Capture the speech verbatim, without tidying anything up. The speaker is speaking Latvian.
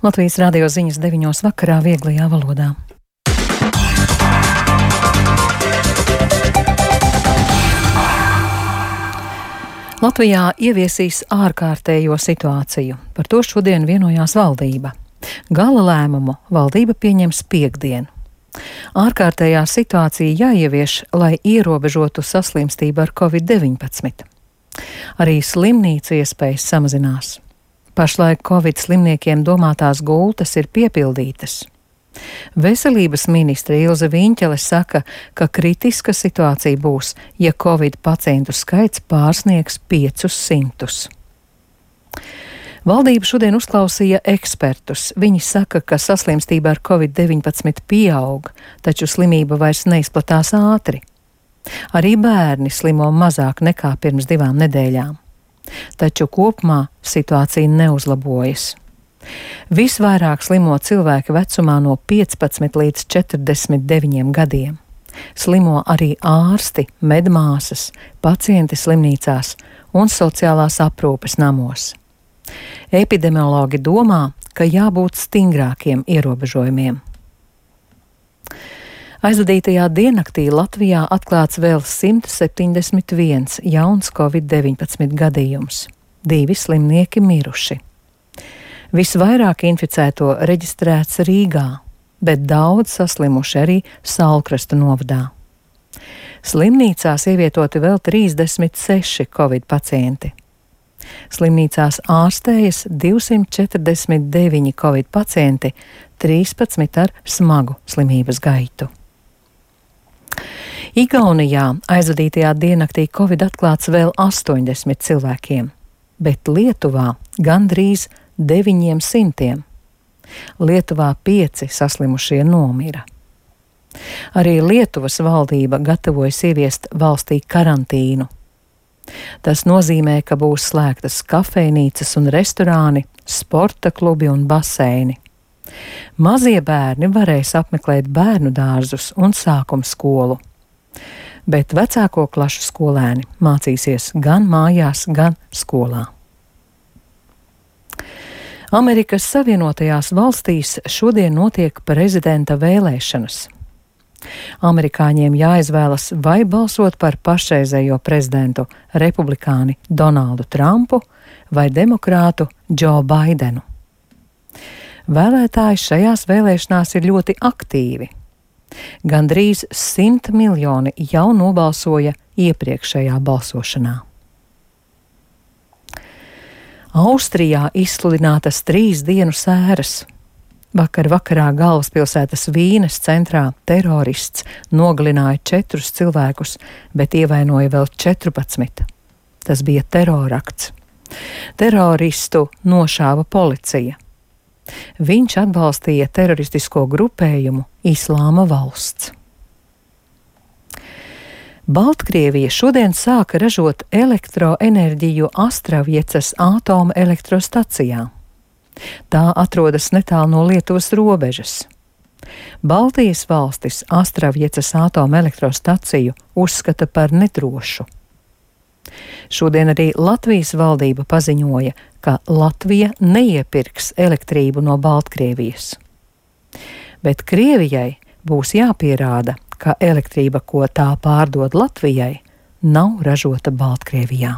Latvijas radio ziņas deviņos vakarā vieglajā valodā. Latvijā ieviesīs ārkārtējo situāciju. Par to šodien vienojās valdība. Gala lēmumu valdība pieņems piektdien. Ārkārtējā situācija jāievieš, lai ierobežotu saslimstību ar covid deviņpadsmit. Arī slimnīcu iespējas samazinās. Pašlaik covid slimniekiem domātās gultas ir piepildītas. Veselības ministre Ilze Viņķele saka, ka kritiska situācija būs, ja covid pacientu skaits pārsniegs piecus simtus. Valdība šodien uzklausīja ekspertus. Viņi saka, ka saslimstība ar covid deviņpadsmit pieaug, taču slimība vairs neizplatās ātri. Arī bērni slimo mazāk nekā pirms divām nedēļām. Taču kopumā situācija neuzlabojas. Visvairāk slimo cilvēki vecumā no piecpadsmit līdz četrdesmit deviņiem gadiem. Slimo arī ārsti, medmāsas, pacienti slimnīcās un sociālās aprūpes namos. Epidemiologi domā, ka jābūt stingrākiem ierobežojumiem. Aizvadītajā diennaktī Latvijā atklāts vēl simt septiņdesmit viens jauns covid deviņpadsmit gadījums. Divi slimnieki miruši. Visvairāk inficēto reģistrēts Rīgā, bet daudz saslimuši arī Saulkrasta novadā. Slimnīcās ievietoti vēl trīsdesmit seši covid pacienti. Slimnīcās ārstējas divsimt četrdesmit deviņi covid pacienti, trīspadsmit ar smagu slimības gaitu. Igaunijā aizvadītajā diennaktī covid atklāts vēl astoņdesmit cilvēkiem, bet Lietuvā gandrīz deviņiem simtiem. Lietuvā pieci saslimušie nomira. Arī Lietuvas valdība gatavojas ieviest valstī karantīnu. Tas nozīmē, ka būs slēgtas kafejnīcas un restorāni, sporta klubi un baseini. Mazie bērni varēs apmeklēt bērnu dārzus un sākuma skolu. Bet vecāko klašu skolēni mācīsies gan mājās, gan skolā. Amerikas Savienotajās valstīs šodien notiek prezidenta vēlēšanas. Amerikāņiem jāizvēlas, vai balsot par pašreizējo prezidentu republikāni Donaldu Trumpu vai demokrātu Džo Baidenu. Vēlētāji šajās vēlēšanās ir ļoti aktīvi. Gandrīz simt miljoni jau nobalsoja iepriekšējā balsošanā. Austrijā izsludinātas trīs dienu sēras. Vakar vakarā galvaspilsētas Vīnes centrā terorists nogalināja četrus cilvēkus, bet ievainoja vēl četrpadsmit. Tas bija terorakts. Teroristu nošāva policija. Viņš atbalstīja teroristisko grupējumu Islāma valsts. Baltkrievija šodien sāka ražot elektroenerģiju Astravjecas atomelektrostacijā. Tā atrodas netālu no Lietuvas robežas. Baltijas valstis Astravjecas atomelektrostaciju uzskata par nedrošu. Šodien arī Latvijas valdība paziņoja, ka Latvija neiepirks elektrību no Baltkrievijas. Bet Krievijai būs jāpierāda, ka elektrība, ko tā pārdod Latvijai, nav ražota Baltkrievijā.